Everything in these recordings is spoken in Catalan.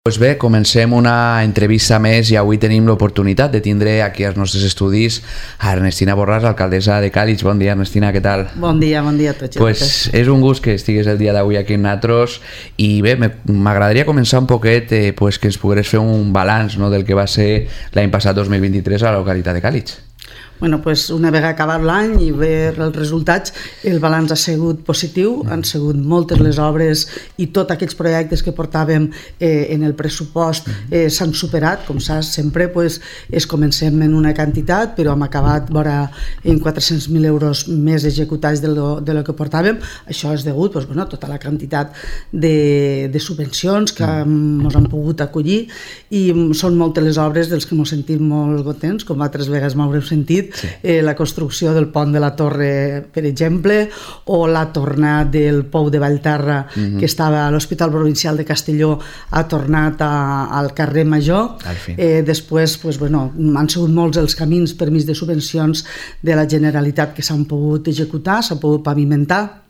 Pues bé, comencem una entrevista més i avui tenim l'oportunitat de tindre aquí als nostres estudis a Ernestina Borràs, alcaldessa de Càlig. Bon dia, Ernestina, què tal? Bon dia a tots. Pues és un gust que estigués el dia d'avui aquí amb nosaltres i bé, m'agradaria començar un poquet pues, que ens pogués fer un balanç, no, del que va ser l'any passat 2023 a la localitat de Càlig. Bueno, pues una vegada acabat l'any i veure els resultats, el balanç ha sigut positiu, han sigut moltes les obres i tots aquells projectes que portàvem en el pressupost s'han superat, com saps, sempre pues, comencem en una quantitat, però hem acabat en 400.000 euros més executats de lo que portàvem. Això és degut pues, bueno, a tota la quantitat de subvencions que ens han pogut acollir i són moltes les obres dels que ens sentim molt contents, com altres vegades m'haureu sentit. Sí. La construcció del pont de la Torre, per exemple, o la tornada del pou de Vallterra, que estava a l'Hospital Provincial de Castelló, ha tornat al carrer Major. Després pues, bueno, han sigut molts els camins per mig de subvencions de la Generalitat que s'han pogut executar, s'han pogut pavimentar,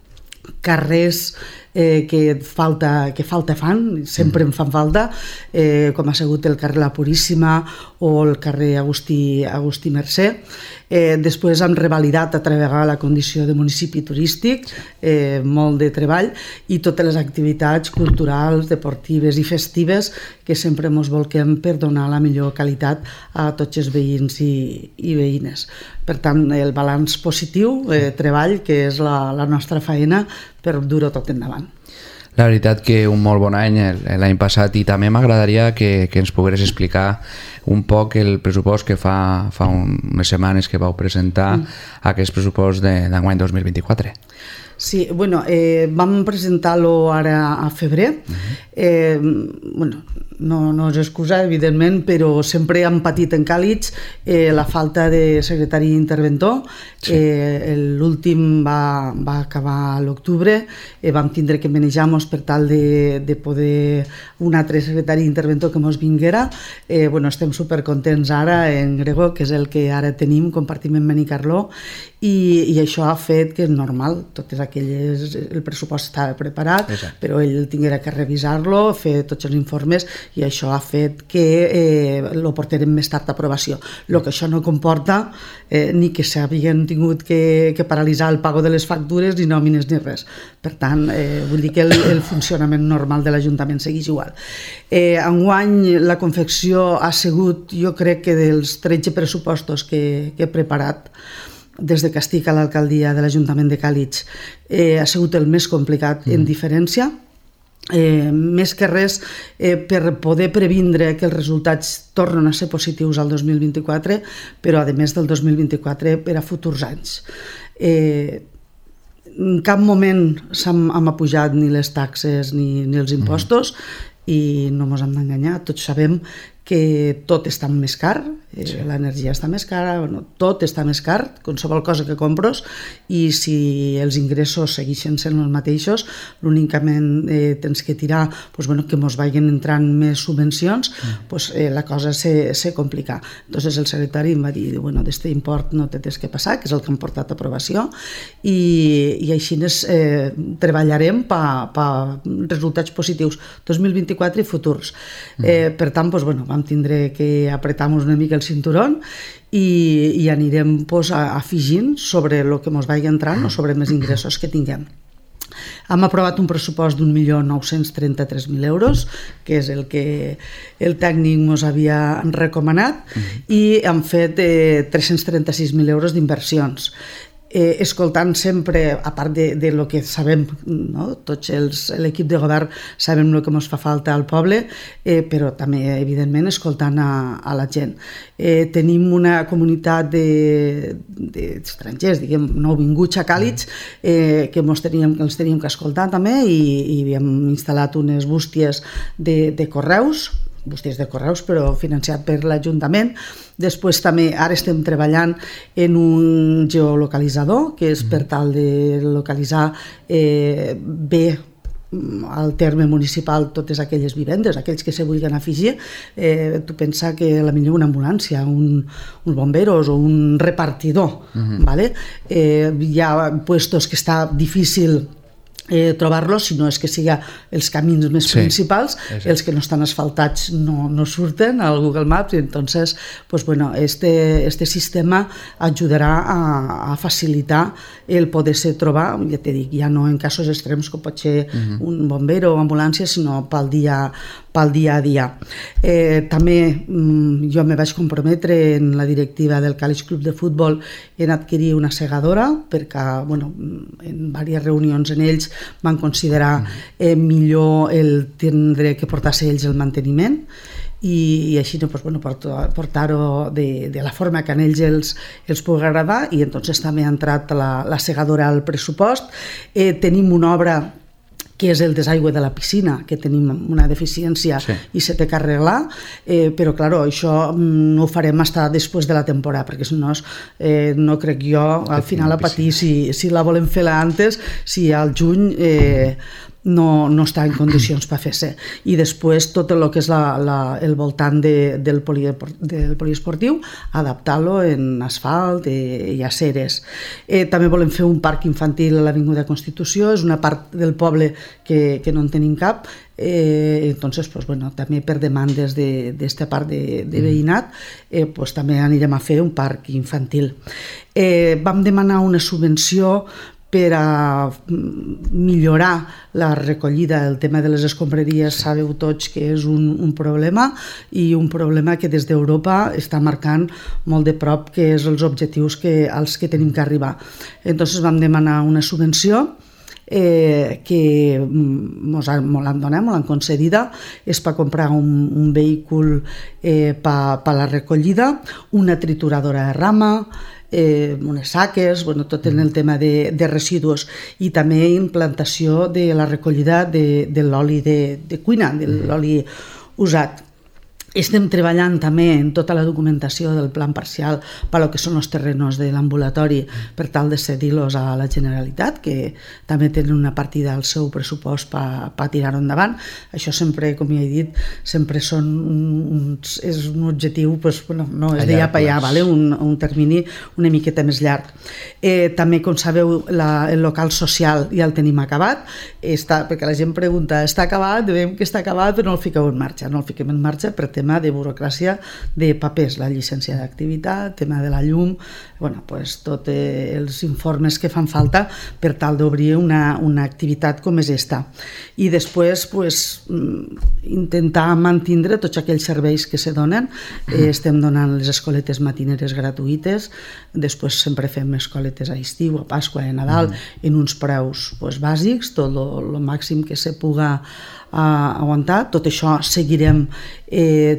carrers que falta fan, sempre en fan falta, com ha sigut el carrer La Puríssima o el carrer Agustí Mercè. Després hem revalidat a treballar la condició de municipi turístic, molt de treball, i totes les activitats culturals, deportives i festives que sempre ens volquem per donar la millor qualitat a tots els veïns i veïnes. Per tant, el balanç positiu, treball, que és la nostra feina per dur-ho tot endavant. La veritat que un molt bon any l'any passat, i també m'agradaria que ens pogueres explicar un poc el pressupost que fa unes setmanes que vau presentar aquest pressupost d'enguany 2024. Sí, bueno, vam presentar-lo ara a febrer. Bueno, no és excusa, evidentment, però sempre hem patit en Càlig la falta de secretari interventor. L'últim va acabar a l'octubre, vam tindre que manejar-nos per tal de poder un altre secretari interventor que ens vinguera. Estem supercontents ara en Gregor, que és el que ara tenim, compartim amb Benicarló, i això ha fet que és normal, el pressupost estava preparat, però ell tinguera que revisar-lo, fer tots els informes, i això ha fet que lo portarem més tard a aprovació. El que això no comporta ni que s'havien tingut que paralitzar el pago de les factures, ni nòmines, ni res. Per tant, vull dir que el funcionament normal de l'Ajuntament segueix igual. Enguany la confecció ha sigut, jo crec que dels 13 pressupostos que he preparat des que estic a l'alcaldia de l'Ajuntament de Càlig, ha sigut el més complicat en diferència. Més que res per poder previndre que els resultats tornen a ser positius al 2024, però a més del 2024 per a futurs anys. En cap moment hem apujat ni les taxes ni els impostos, i no ens hem d'enganyar, tots sabem que tot està més car, l'energia està més cara, tot està més car, qualsevol cosa que compres, i si els ingressos segueixen sent els mateixos, l'únicament tens que tirar que ens vagin entrant més subvencions, la cosa se complica. Entonces el secretari em va dir, d'aquest import no te tens que passar, que és el que hem portat a aprovació, i així treballarem per resultats positius 2024 i futurs. Per tant, vam tindre que apretar-nos una mica el cinturón i anirem afegint sobre el que ens vagi entrant o sobre més ingressos que tinguem. Hem aprovat un pressupost d'1.933.000 euros, que és el que el tècnic ens havia recomanat, i hem fet 336.000 euros d'inversions. Escoltant sempre, a part de lo que sabem, tots l'equip de govern sabem el que ens fa falta al poble, però també, evidentment, escoltant a la gent. Tenim una comunitat d'estrangers, nouvinguts a Càlig, que els teníem que escoltar també, i havíem instal·lat unes bústies de correus, però financiat per l'Ajuntament. Després també ara estem treballant en un geolocalitzador, que és per tal de localitzar bé al terme municipal totes aquelles vivendes, aquells que se vulguin afegir. Tu pensa que potser una ambulància, un bomberos o un repartidor, hi ha puestos que està difícil trobar-los, si no és que siga els camins més principals, els que no estan asfaltats no surten al Google Maps, i entonces pues bueno, este sistema ajudarà a facilitar el poder-se trobar, ja te dic, ja no en casos extrems com pot ser un bomber o ambulància, sinó pel dia a dia. També jo me vaig comprometre en la directiva del Càlig Club de Futbol en adquirir una segadora, perquè bueno, en diverses reunions en ells van considerar millor el tindre que portar-se ells el manteniment, i així pues, bueno, portar-ho de la forma que a ells els pugui agradar, i entonces també ha entrat la segadora al pressupost. Tenim una obra que és el desaigüe de la piscina, que tenim una deficiència i se té que arreglar, però claro, això no ho farem fins després de la temporada, perquè si no, no crec jo al final a patir si la volem fer antes, si al juny no està en condicions per fer-se. I després tot el que és el voltant del poliesportiu, adaptar-lo en asfalt i aceres. També volem fer un parc infantil a l'Avinguda Constitució, és una part del poble que no en tenim cap, entonces pues bueno, també per demandes d'esta part de veïnat pues també anirem a fer un parc infantil. Vam demanar una subvenció per a millorar la recollida. El tema de les escombraries sabeu tots que és un problema, i un problema que des d'Europa està marcant molt de prop que és els objectius als que tenim que arribar. Entonces vam demanar una subvenció que mos l'han donat, mos l'han concedida, és per comprar un vehicle per la recollida, una trituradora de rama, unes saques, bueno, tot en el tema de residus, i també implantació de la recollida de l'oli de cuina, de l'oli usat. Estem treballant també en tota la documentació del plan parcial per al que són els terrenos de l'ambulatori per tal de cedir-los a la Generalitat, que també tenen una partida al seu pressupost per tirar-ho endavant. Això sempre, com ja he dit, sempre és un objectiu, no és d'allà per allà, un termini una miqueta més llarg. També, com sabeu, el local social ja el tenim acabat, perquè la gent pregunta, està acabat? Veiem que està acabat, però no el fiqueu en marxa. No el fiquem en marxa per tema de burocràcia de papers, la llicència d'activitat, tema de la llum, tots els informes que fan falta per tal d'obrir una activitat com és esta. I després intentar mantindre tots aquells serveis que se donen. Estem donant les escoletes matineres gratuïtes, després sempre fem escoletes a estiu, a Pasqua i a Nadal, en uns preus bàsics, tot el màxim que se puga aguantar. Tot això seguirem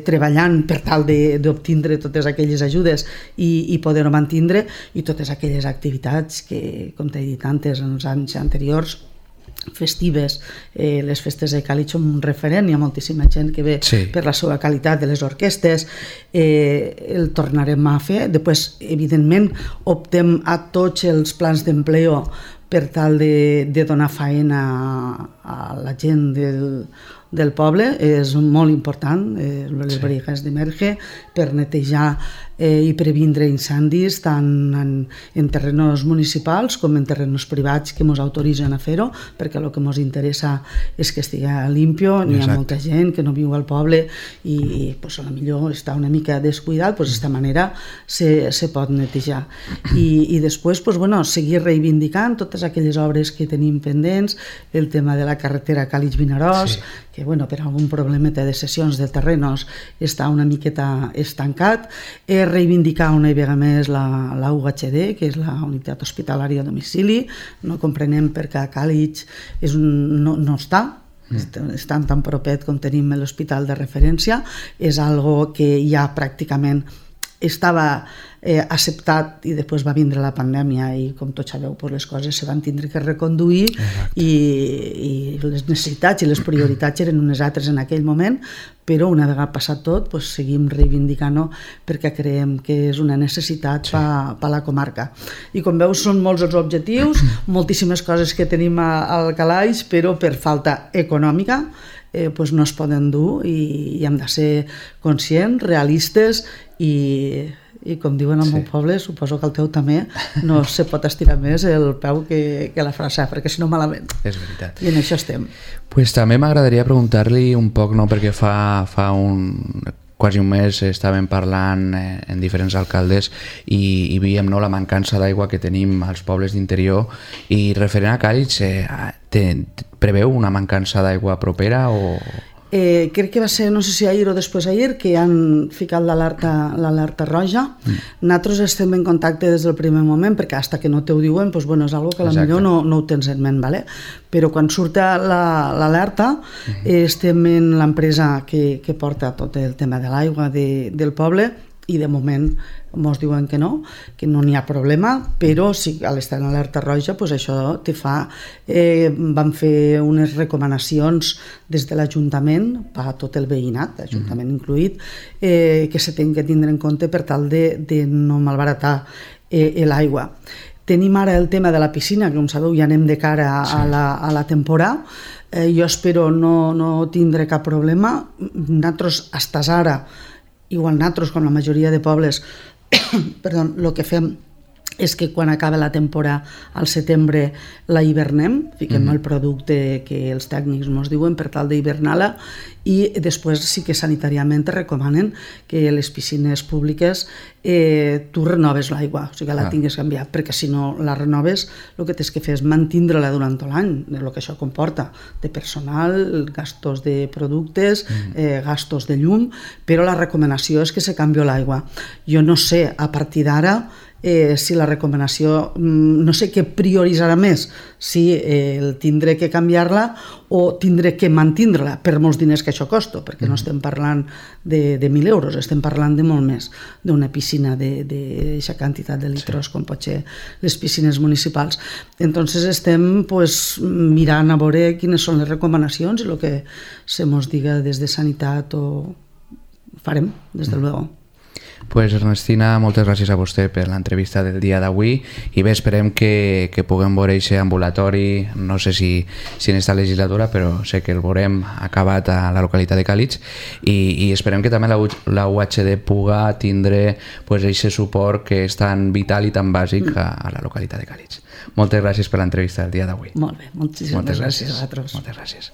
treballant per tal d'obtindre totes aquelles ajudes i poder-ho mantindre, i totes aquelles activitats que, com t'he dit antes, en els anys anteriors, festives, les festes de Càlig són un referent, hi ha moltíssima gent que ve per la seva qualitat de les orquestes, el tornarem a fer. Després, evidentment, optem a tots els plans d'empleo per tal de donar faena a la gent del poble. És molt important, les brigades d'emerge, per netejar i previndre incendis tant en terrenos municipals com en terrenos privats que ens autoritzen a fer-ho, perquè el que ens interessa és que estigui limpio. N'hi ha molta gent que no viu al poble i potser està una mica descuidat, d'esta manera se pot netejar. I després seguir reivindicant totes aquelles obres que tenim pendents, el tema de la carretera Càlig-Vinaròs, que per algun problema de cessions de terrenos està una miqueta estancat. Reivindicar una vegada més la UHD, que és la unitat hospitalària a domicili. No comprenem per què a Càlig no està, estan tan propet com tenim l'hospital de referència. És algo que ja pràcticament estava acceptat, i després va vindre la pandèmia i, com tots sabeu, les coses se van tindre que reconduir i les necessitats i les prioritats eren unes altres en aquell moment, però una vegada passat tot seguim reivindicant-ho perquè creiem que és una necessitat per a la comarca. I com veus, són molts els objectius, moltíssimes coses que tenim al calaix, però per falta econòmica no es poden dur, i hem de ser conscients, realistes, i i com diuen al meu poble, suposo que el teu també, no se pot estirar més el peu que la frase, perquè si no malament. És veritat. I en això estem. Pues també m'agradaria preguntar-li un poc, no, perquè fa quasi un mes estàvem parlant en diferents alcaldes i veiem, no, la mancança d'aigua que tenim als pobles d'interior, i referent a Càlig, preveu una mancança d'aigua propera o...? Crec que va ser, no sé si ahir o després ahir, que han ficat l'alerta roja. Nosaltres estem en contacte des del primer moment, perquè hasta que no te ho diuen, doncs, bueno, és algo que potser no ho tens en ment, ¿vale? Però quan surt l'alerta, estem en l'empresa que porta tot el tema de l'aigua del poble, i de moment ens diuen que no n'hi ha problema, però si a l'estar en alerta roja, doncs això te fa... Vam fer unes recomanacions des de l'Ajuntament per a tot el veïnat, l'Ajuntament incluït, que se tenen que tindre en compte per tal de no malbaratar l'aigua. Tenim ara el tema de la piscina, que com sabeu ja anem de cara a la temporada. Jo espero no tindre cap problema. Nosaltres, fins ara, igual nosaltres, com la majoria de pobles, el que fem és que quan acaba la temporada al setembre la hivernem, fiquem el producte que els tècnics ens diuen per tal d'hivernar-la, i després sí que sanitàriament te recomanen que les piscines públiques tu renoves l'aigua, o sigui que la tingues canviat, perquè si no la renoves el que tens que fer és mantindre-la durant tot l'any, el que això comporta de personal, gastos de productes, gastos de llum, però la recomanació és que se canvia l'aigua. Jo no sé a partir d'ara si la recomanació, no sé què prioritzarà més, si el tindré que canviar-la o tindré que mantindre-la per molts diners que això costa, perquè no estem parlant de 1.000 euros, estem parlant de molt més, d'una piscina d'aquesta quantitat de litros com pot ser les piscines municipals. Entonces estem mirant a veure quines són les recomanacions i el que se mos diga des de sanitat o farem, des del luego. Pues Ernestina, moltes gràcies a vostè per l'entrevista del dia d'avui, i bé, esperem que puguem veure aquest ambulatori, no sé si en esta legislatura, però sé que el veurem acabat a la localitat de Càlig, i esperem que també la UHD puga tindre aquest suport que és tan vital i tan bàsic a la localitat de Càlig. Moltes gràcies per l'entrevista del dia d'avui. Molt bé, moltíssimes gràcies a vosaltres. Moltes gràcies.